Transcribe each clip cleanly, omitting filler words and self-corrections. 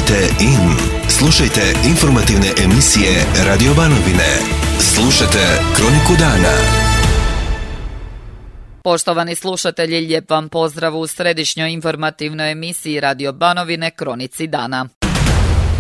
Kliknite in. Slušajte informativne emisije Radio Banovine. Slušajte Kroniku dana. Poštovani slušatelji, lijep vam pozdrav u središnjoj informativnoj emisiji Radio Banovine Kronici dana.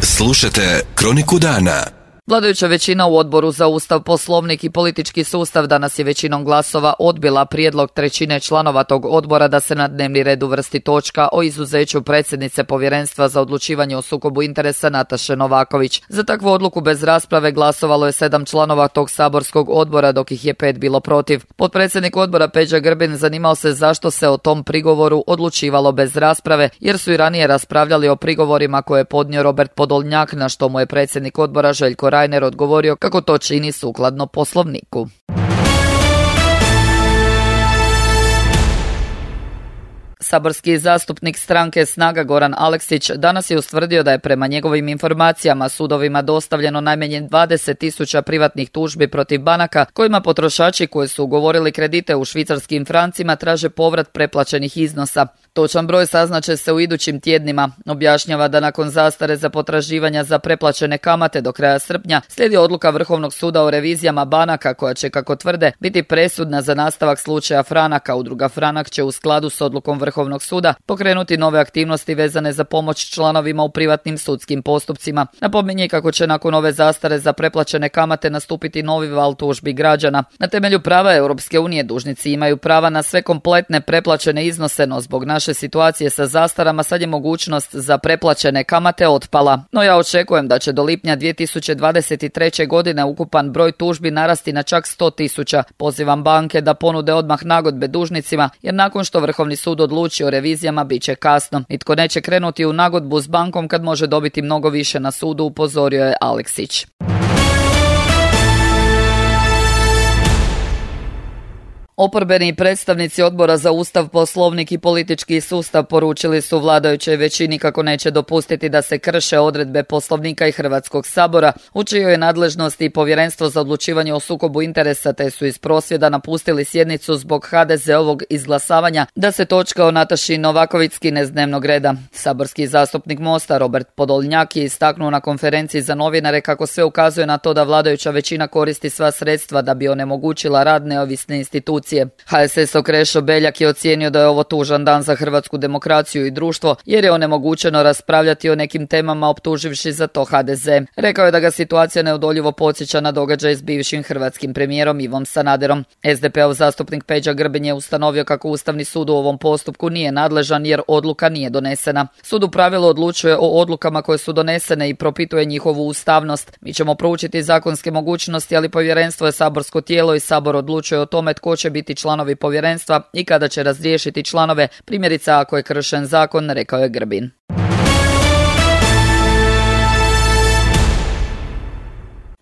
Slušajte Kroniku dana. Vladajuća većina u Odboru za Ustav, Poslovnik i politički sustav danas je većinom glasova odbila prijedlog trećine članova tog odbora da se na dnevni red uvrsti točka o izuzeću predsjednice Povjerenstva za odlučivanje o sukobu interesa Nataše Novaković. Za takvu odluku bez rasprave glasovalo je 7 članova tog saborskog odbora, dok ih je 5 bilo protiv. Potpredsjednik odbora Peđa Grbin zanimao se zašto se o tom prigovoru odlučivalo bez rasprave, jer su i ranije raspravljali o prigovorima koje je podnio Robert Podolnjak, na što mu je predsjednik odbora Željko Reiner odgovorio kako to čini sukladno Poslovniku. Saborski zastupnik stranke Snaga Goran Aleksić danas je ustvrdio da je prema njegovim informacijama sudovima dostavljeno najmanje 20.000 privatnih tužbi protiv banaka kojima potrošači koji su ugovorili kredite u švicarskim francima traže povrat preplaćenih iznosa. Točan broj saznaće se u idućim tjednima. Objašnjava da nakon zastare za potraživanja za preplaćene kamate do kraja srpnja slijedi odluka Vrhovnog suda o revizijama banaka koja će, kako tvrde, biti presudna za nastavak slučaja Franaka. Udruga Franak će u skladu s odlukom Vrhovnog suda pokrenuti nove aktivnosti vezane za pomoć članovima u privatnim sudskim postupcima. Napominje kako će nakon ove zastare za preplaćene kamate nastupiti novi val tužbi građana. Na temelju prava Europske unije dužnici imaju prava na sve kompletne preplaćene iznose, no zbog naše situacije sa zastarama sad je mogućnost za preplaćene kamate otpala. No ja očekujem da će do lipnja 2023. godine ukupan broj tužbi narasti na čak 100.000. Pozivam banke da ponude odmah nagodbe dužnicima, jer nakon što Vrhovni sud odluči o revizijama bit će kasno. Nitko neće krenuti u nagodbu s bankom kad može dobiti mnogo više na sudu, upozorio je Aleksić. Oporbeni predstavnici Odbora za Ustav, Poslovnik i politički sustav poručili su vladajućoj većini kako neće dopustiti da se krše odredbe Poslovnika i Hrvatskog sabora, u čijoj je nadležnosti Povjerenstvo za odlučivanje o sukobu interesa, te su iz prosvjeda napustili sjednicu zbog HDZ-ovog izglasavanja da se točka o Nataši Novaković skine s dnevnog reda. Saborski zastupnik Mosta Robert Podolnjak je istaknuo na konferenciji za novinare kako sve ukazuje na to da vladajuća većina koristi sva sredstva da bi onemogućila rad neovisne institucije. HSS-ov Krešo Beljak je ocijenio da je ovo tužan dan za hrvatsku demokraciju i društvo, jer je onemogućeno raspravljati o nekim temama optuživši za to HDZ. Rekao je da ga situacija neodoljivo podsjeća na događaj s bivšim hrvatskim premijerom Ivom Sanaderom. SDP-ov zastupnik Peđa Grbin je ustanovio kako Ustavni sud u ovom postupku nije nadležan jer odluka nije donesena. Sud u pravilu odlučuje o odlukama koje su donesene i propituje njihovu ustavnost. Mi ćemo proučiti zakonske mogućnosti, ali povjerenstvo je saborsko tijelo i Sabor odlučuje o tome tko će biti članovi povjerenstva i kada će razriješiti članove, primjerice ako je kršen zakon, rekao je Grbin.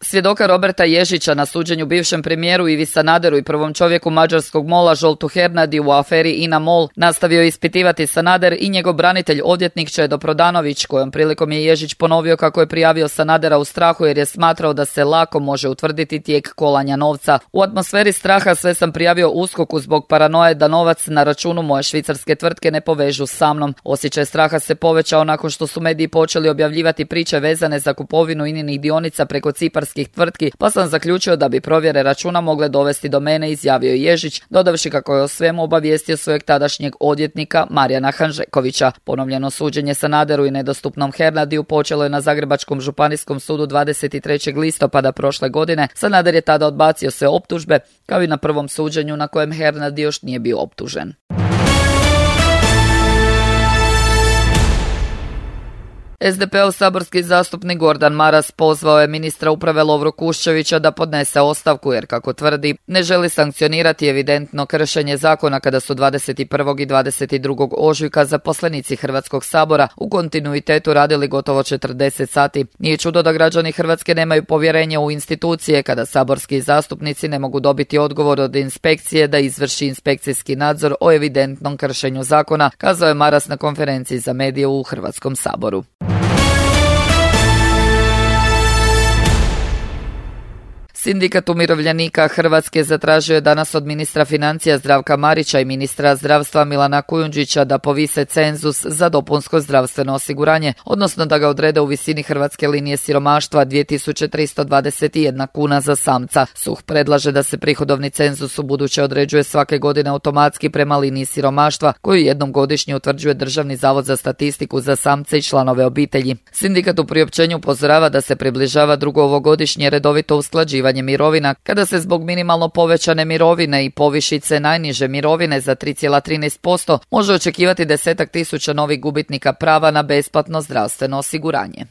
Svjedoka Roberta Ježića na suđenju bivšem premijeru Ivi Sanaderu i prvom čovjeku mađarskog MOL-a Zsoltu Hernadiju u aferi INA MOL nastavio ispitivati Sanader i njegov branitelj odvjetnik Čedo Prodanović, kojom prilikom je Ježić ponovio kako je prijavio Sanadera u strahu jer je smatrao da se lako može utvrditi tijek kolanja novca. U atmosferi straha sve sam prijavio USKOK-u zbog paranoje da novac na računu moje švicarske tvrtke ne povežu sa mnom. Osjećaj straha se povećao nakon što su mediji počeli objavljivati priče vezane za kupovinu INA-inih dionica preko ciparskih tvrtki, pa sam zaključio da bi provjere računa mogle dovesti do mene, izjavio Ježić, dodavši kako je o svemu obavijestio svojeg tadašnjeg odvjetnika Marijana Hanžekovića. Ponovljeno suđenje Sanaderu i nedostupnom Hernadiju počelo je na Zagrebačkom županijskom sudu 23. listopada prošle godine. Sanader je tada odbacio sve optužbe, kao i na prvom suđenju na kojem Hernadi još nije bio optužen. SDP-ov saborski zastupnik Gordan Maras pozvao je ministra uprave Lovru Kuščevića da podnese ostavku jer, kako tvrdi, ne želi sankcionirati evidentno kršenje zakona kada su 21. i 22. ožujka zaposlenici Hrvatskog sabora u kontinuitetu radili gotovo 40 sati. Nije čudo da građani Hrvatske nemaju povjerenje u institucije kada saborski zastupnici ne mogu dobiti odgovor od inspekcije da izvrši inspekcijski nadzor o evidentnom kršenju zakona, kazao je Maras na konferenciji za medije u Hrvatskom saboru. Sindikat umirovljenika Hrvatske zatražio je danas od ministra financija Zdravka Marića i ministra zdravstva Milana Kujundžića da povise cenzus za dopunsko zdravstveno osiguranje, odnosno da ga odrede u visini hrvatske linije siromaštva 2321 kuna za samca. SUH predlaže da se prihodovni cenzus ubuduće određuje svake godine automatski prema liniji siromaštva koju jednom godišnje utvrđuje Državni zavod za statistiku za samce i članove obitelji. Sindikat u priopćenju upozorava da se približava drugo ovogodišnje redovito usklađivanje mirovina, kada se zbog minimalno povećane mirovine i povišice najniže mirovine za 3,13% može očekivati 10.000 novih gubitnika prava na besplatno zdravstveno osiguranje.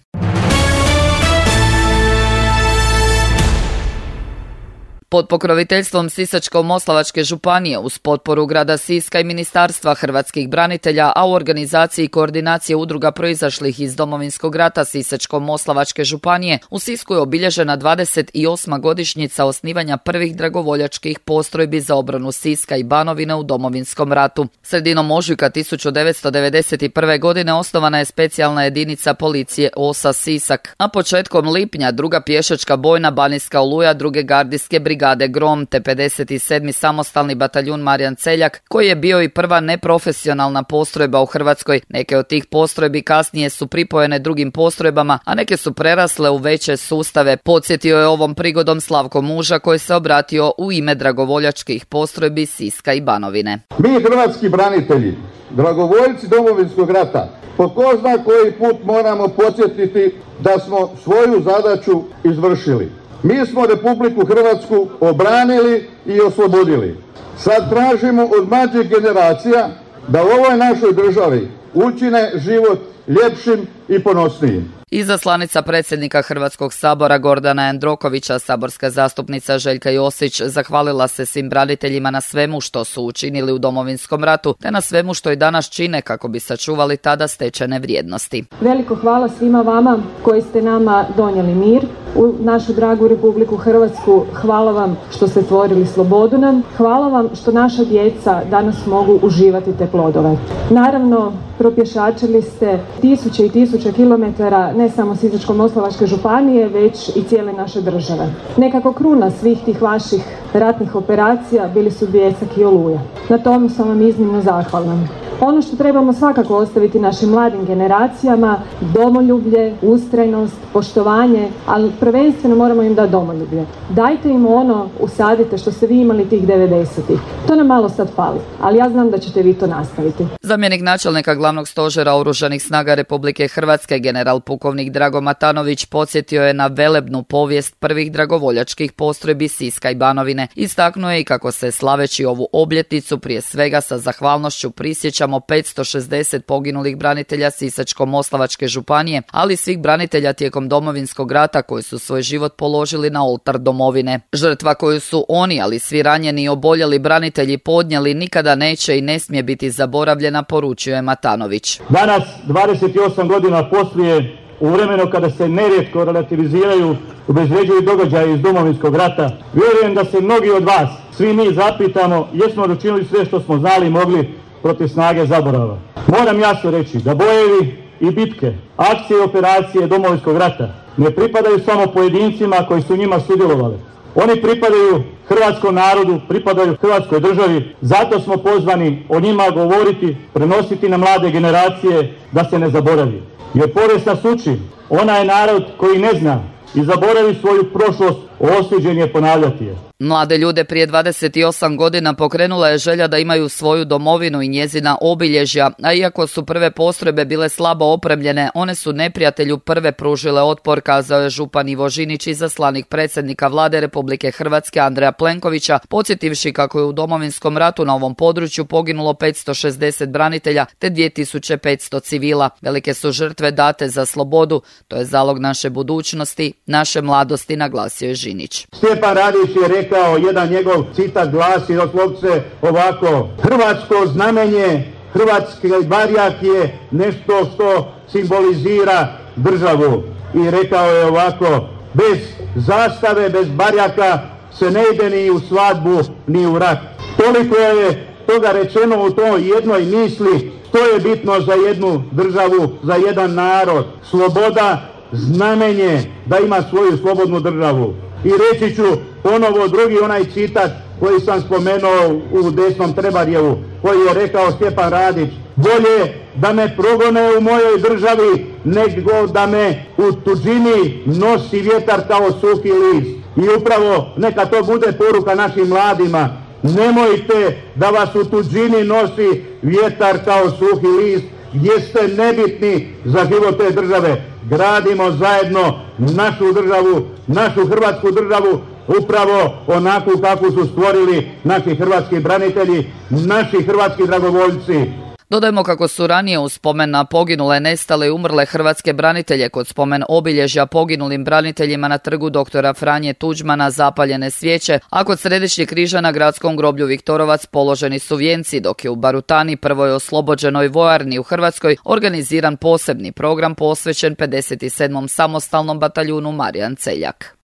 Pod pokroviteljstvom Sisačko-moslavačke županije uz potporu grada Siska i Ministarstva hrvatskih branitelja, a u organizaciji koordinacije udruga proizašlih iz Domovinskog rata Sisačko-moslavačke županije, u Sisku je obilježena 28. godišnjica osnivanja prvih dragovoljačkih postrojbi za obranu Siska i Banovine u Domovinskom ratu. Sredinom ožujka 1991. godine osnovana je specijalna jedinica policije OSA Sisak, a početkom lipnja druga pješačka bojna Banijska Oluja druge gardijske brigade Grom te 57. samostalni bataljun Marijan Celjak, koji je bio i prva neprofesionalna postrojba u Hrvatskoj. Neke od tih postrojbi kasnije su pripojene drugim postrojbama, a neke su prerasle u veće sustave. Podsjetio je ovom prigodom Slavko Muža, koji se obratio u ime dragovoljačkih postrojbi Siska i Banovine. Mi hrvatski branitelji, dragovoljci Domovinskog rata, po ko zna koji put moramo podsjetiti da smo svoju zadaću izvršili. Mi smo Republiku Hrvatsku obranili i oslobodili. Sad tražimo od mlađih generacija da u ovoj našoj državi učine život ljepšim i ponosnijim. Izaslanica predsjednika Hrvatskog sabora Gordana Jandrokovića, saborska zastupnica Željka Josić, zahvalila se svim braniteljima na svemu što su učinili u Domovinskom ratu, te na svemu što i danas čine kako bi sačuvali tada stečene vrijednosti. Veliko hvala svima vama koji ste nama donijeli mir u našu dragu Republiku Hrvatsku. Hvala vam što ste stvorili slobodu nam. Hvala vam što naša djeca danas mogu uživati te plodove. Naravno, propješačili ste tisuće i tisuće kilometara ne samo Sisačko-moslavačke županije, već i cijele naše države. Nekako kruna svih tih vaših ratnih operacija bili su Bljesak i Oluja. Na tom sam vam iznimno zahvalna. Ono što trebamo svakako ostaviti našim mladim generacijama, domoljublje, ustrajnost, poštovanje, ali prvenstveno moramo im dati domoljublje. Dajte im ono, usadite što ste vi imali tih 90-ih. To nam malo sad fali, ali ja znam da ćete vi to nastaviti. Zamjenik načelnika Glavnog stožera Oružanih snaga Republike Hrvatske, general pukovnik Drago Matanović, podsjetio je na velebnu povijest prvih dragovoljačkih postrojbi Siska i Banovine. Istaknuo je i kako se slaveći ovu obljetnicu prije svega sa zahvalnošću prisjećamo 560 poginulih branitelja Sisačko-moslavačke županije, ali svih branitelja tijekom Domovinskog rata koji su svoj život položili na oltar domovine. Žrtva koju su oni, ali svi ranjeni i oboljeli branitelji podnijeli, nikada neće i ne smije biti zaboravljena, poručio je Matanović. Danas, 28 godina poslije, u vremenu kada se nerijetko relativiziraju, obezvređuju događaje iz Domovinskog rata, vjerujem da se mnogi od vas, svi mi zapitamo, jesmo li učinili sve što smo znali i mogli protiv snage zaborava. Moram jasno reći da bojevi i bitke, akcije i operacije Domovinskog rata ne pripadaju samo pojedincima koji su njima sudjelovali. Oni pripadaju hrvatskom narodu, pripadaju Hrvatskoj državi, zato smo pozvani o njima govoriti, prenositi na mlade generacije da se ne zaboravi. Jer povijest nas uči, onaj narod koji ne zna i zaboravi svoju prošlost, osuđen je ponavljati je. Mlade ljude prije 28 godina pokrenula je želja da imaju svoju domovinu i njezina obilježja, a iako su prve postrojbe bile slabo opremljene, one su neprijatelju prve pružile otpor, kazao je župan Ivo Žinić, izaslanik predsjednika Vlade Republike Hrvatske Andreja Plenkovića, podsjetivši kako je u Domovinskom ratu na ovom području poginulo 560 branitelja te 2500 civila. Velike su žrtve date za slobodu, to je zalog naše budućnosti, naše mladosti, naglasio je Žinić. Stjepan Radić je rekao, jedan njegov citat glasi doslovce ovako: hrvatsko znamenje, hrvatski barjak je nešto što simbolizira državu. I rekao je ovako: bez zastave, bez barjaka se ne ide ni u svadbu, ni u rat. Toliko je toga rečeno u toj jednoj misli, što je bitno za jednu državu, za jedan narod. Sloboda, znamenje da ima svoju slobodnu državu. I reći ću ponovo drugi onaj citat koji sam spomenuo u desnom Trebarjevu, koji je rekao Stjepan Radić: bolje da me progone u mojoj državi, nego da me u tuđini nosi vjetar kao suhi list. I upravo neka to bude poruka našim mladima. Nemojte da vas u tuđini nosi vjetar kao suhi list, gdje ste nebitni za život te države. Gradimo zajedno našu državu, našu Hrvatsku državu, upravo onako kako su stvorili naši hrvatski branitelji, naši hrvatski dragovoljci. Dodajmo kako su ranije u spomen na poginule, nestale i umrle hrvatske branitelje kod spomen obilježja poginulim braniteljima na trgu doktora Franje Tuđmana zapaljene svijeće, a kod Središnjeg križa na gradskom groblju Viktorovac položeni su vijenci, dok je u Barutani, prvoj oslobođenoj vojarni u Hrvatskoj, organiziran posebni program posvećen 57. samostalnom bataljunu Marijan Celjak.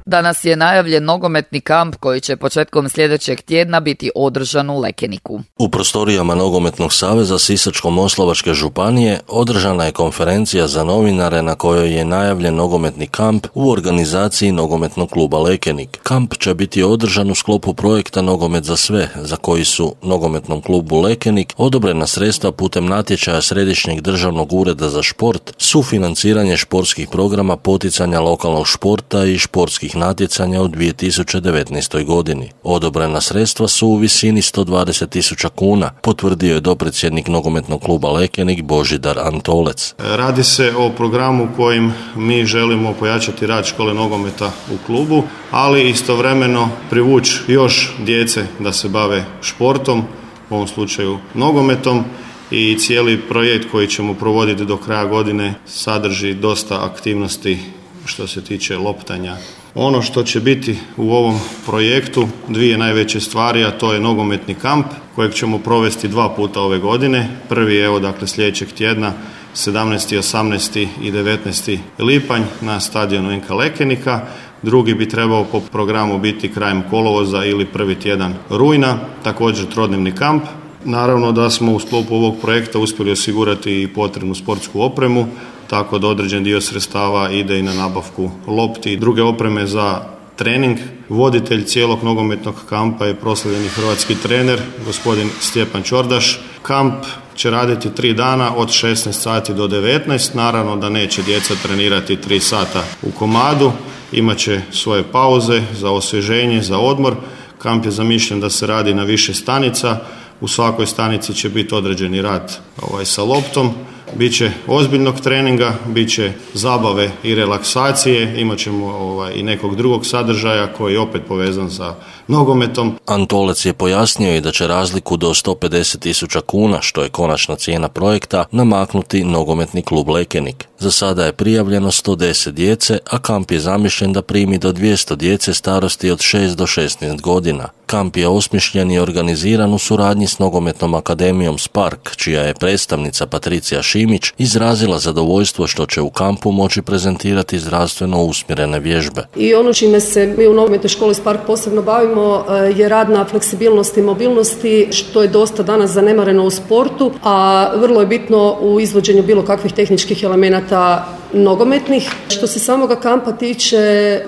Danas je najavljen nogometni kamp koji će početkom sljedećeg tjedna biti održan u Lekeniku. U prostorijama Nogometnog saveza Sisačko-moslavačke županije održana je konferencija za novinare na kojoj je najavljen nogometni kamp u organizaciji Nogometnog kluba Lekenik. Kamp će biti održan u sklopu projekta Nogomet za sve, za koji su Nogometnom klubu Lekenik odobrena sredstva putem natječaja Središnjeg državnog ureda za šport, sufinanciranje športskih programa, poticanja lokalnog športa i športskih natjecanja u 2019. godini. Odobrena sredstva su u visini 120.000 kuna, potvrdio je dopredsjednik Nogometnog kluba Lekenik Božidar Antolec. Radi se o programu kojim mi želimo pojačati rad škole nogometa u klubu, ali istovremeno privući još djece da se bave športom, u ovom slučaju nogometom, i cijeli projekt koji ćemo provoditi do kraja godine sadrži dosta aktivnosti što se tiče loptanja. Ono što će biti u ovom projektu, dvije najveće stvari, a to je nogometni kamp kojeg ćemo provesti 2 puta ove godine. Prvi je sljedećeg tjedna, 17., 18. i 19. lipanj na stadionu NK Lekenika. Drugi bi trebao po programu biti krajem kolovoza ili prvi tjedan rujna, također trodnevni kamp. Naravno da smo u sklopu ovog projekta uspjeli osigurati i potrebnu sportsku opremu, tako da određen dio sredstava ide i na nabavku lopti i druge opreme za trening. Voditelj cijelog nogometnog kampa je proslavljeni hrvatski trener, gospodin Stjepan Čordaš. Kamp će raditi 3 dana od 16 sati do 19. Naravno da neće djeca trenirati 3 sata u komadu, imat će svoje pauze za osvježenje, za odmor. Kamp je zamišljen da se radi na više stanica. U svakoj stanici će biti određeni rad sa loptom. Biće ozbiljnog treninga, bit će zabave i relaksacije, imat ćemo i nekog drugog sadržaja koji je opet povezan sa nogometom. Antolec je pojasnio i da će razliku do 150.000 kuna, što je konačna cijena projekta, namaknuti Nogometni klub Lekenik. Za sada je prijavljeno 110 djece, a kamp je zamišljen da primi do 200 djece starosti od 6 do 16 godina. Kamp je osmišljen i organiziran u suradnji s Nogometnom akademijom Spark, čija je predstavnica Patricija Šimić izrazila zadovoljstvo što će u kampu moći prezentirati zdravstveno usmjerene vježbe. I ono čime se mi u Nogometnoj školi Spark posebno bavimo je rad na fleksibilnosti i mobilnosti, što je dosta danas zanemareno u sportu, a vrlo je bitno u izvođenju bilo kakvih tehničkih elemenata nogometnih. Što se samoga kampa tiče,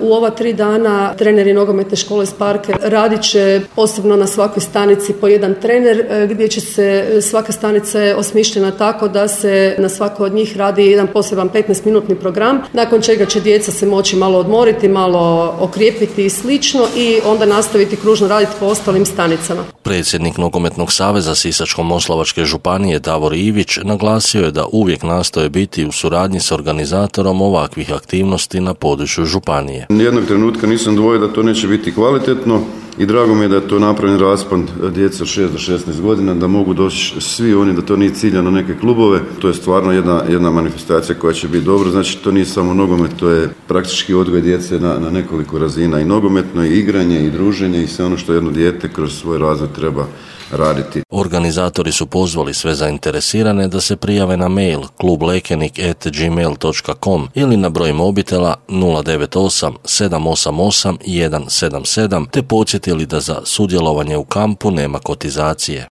u ova 3 dana treneri Nogometne škole Spark radit će posebno na svakoj stanici po jedan trener, gdje će se svaka stanica je osmišljena tako da se na svako od njih radi jedan poseban 15-minutni program, nakon čega će djeca se moći malo odmoriti, malo okrijepiti i slično i onda nastaviti kružno raditi po ostalim stanicama. Predsjednik Nogometnog saveza Sisačko-moslavačke županije Davor Ivić naglasio je da uvijek nastoje biti u suradnji s organizatorom ovakvih aktivnosti na području županije. Nijednog trenutka nisam dvojio da to neće biti kvalitetno i drago mi je da je to napravljen raspon djece od 6 do 16 godina, da mogu doći svi oni, da to nije ciljano neke klubove. To je stvarno jedna manifestacija koja će biti dobra. Znači, to nije samo nogomet, to je praktički odgoj djece na nekoliko razina, i nogometno, i igranje, i druženje, i sve ono što jedno dijete kroz svoj razvoj treba raditi. Organizatori su pozvali sve zainteresirane da se prijave na mail klublekenik@gmail.com ili na broj mobitela 098 788 177 te podsjetili da za sudjelovanje u kampu nema kotizacije.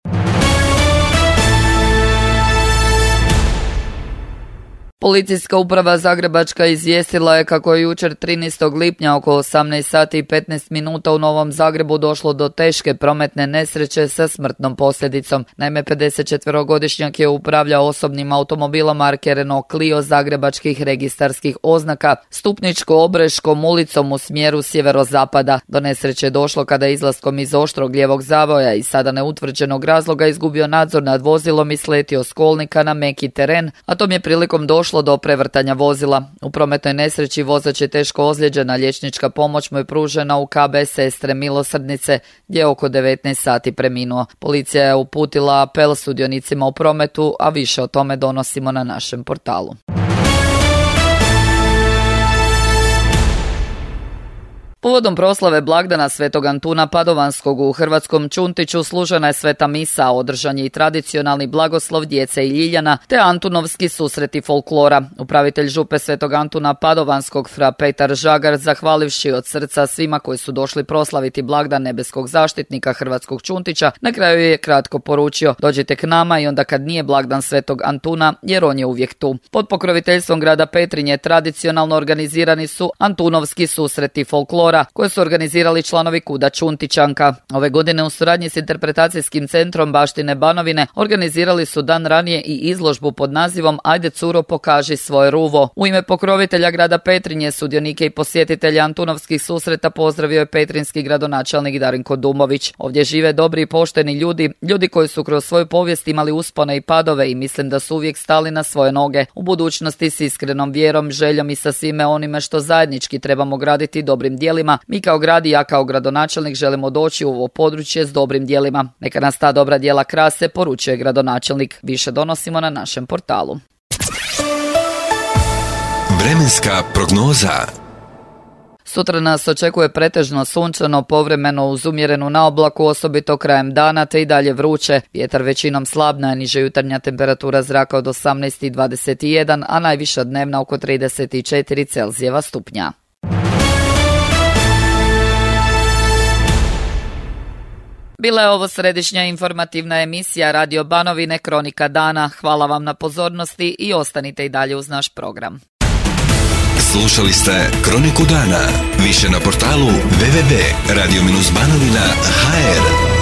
Policijska uprava Zagrebačka izvijestila je kako je jučer 13. lipnja oko 18 sati i 15 minuta u Novom Zagrebu došlo do teške prometne nesreće sa smrtnom posljedicom. Naime, 54-godišnjak je upravljao osobnim automobilom marke Renault Clio zagrebačkih registarskih oznaka Stupničko-Obreškom ulicom u smjeru sjeverozapada. Do nesreće je došlo kada je izlaskom iz oštrog lijevog zavoja i sada neutvrđenog razloga izgubio nadzor nad vozilom i sletio s kolnika na meki teren, a tom je prilikom došlo do prevrtanja vozila. U prometnoj nesreći vozač je teško ozlijeđena, liječnička pomoć mu je pružena u KB Sestre Milosrdnice, gdje je oko 19 sati preminuo. Policija je uputila apel sudionicima u prometu, a više o tome donosimo na našem portalu. Povodom proslave blagdana Svetog Antuna Padovanskog u Hrvatskom Čuntiću služena je sveta misa, održan je i tradicionalni blagoslov djece i ljiljana, te Antunovski susreti folklora. Upravitelj župe Svetog Antuna Padovanskog fra Petar Žagar, zahvalivši od srca svima koji su došli proslaviti blagdan nebeskog zaštitnika Hrvatskog Čuntića, na kraju je kratko poručio: dođite k nama i onda kad nije blagdan Svetog Antuna, jer on je uvijek tu. Pod pokroviteljstvom grada Petrinje tradicionalno organizirani su Antunovski susreti folklora, koje su organizirali članovi Kuda Čuntićanka. Ove godine u suradnji s interpretacijskim centrom Baštine Banovine organizirali su dan ranije i izložbu pod nazivom Ajde curo pokaži svoje ruvo. U ime pokrovitelja grada Petrinje sudionike i posjetitelje Antunovskih susreta pozdravio je petrinski gradonačelnik Darinko Dumović. Ovdje žive dobri i pošteni ljudi koji su kroz svoju povijest imali uspone i padove i mislim da su uvijek stali na svoje noge. U budućnosti s iskrenom vjerom, željom i sa svime onime što zajednički trebamo graditi dobrim djelima. Mi kao grad i ja kao gradonačelnik želimo doći u ovo područje s dobrim djelima. Neka nas ta dobra djela krase, poručuje gradonačelnik. Više donosimo na našem portalu. Vremenska prognoza. Sutra nas očekuje pretežno sunčano, povremeno uz umjerenu naoblaku, osobito krajem dana, te i dalje vruće. Vjetar većinom slab, najniža jutarnja temperatura zraka od 18 i 21, a najviša dnevna oko 34 Celzijeva stupnja. Bila je ovo središnja informativna emisija Radio Banovine Kronika dana. Hvala vam na pozornosti i ostanite i dalje uz naš program. Slušali ste Kroniku dana. Više na portalu www.radio-banovina.hr.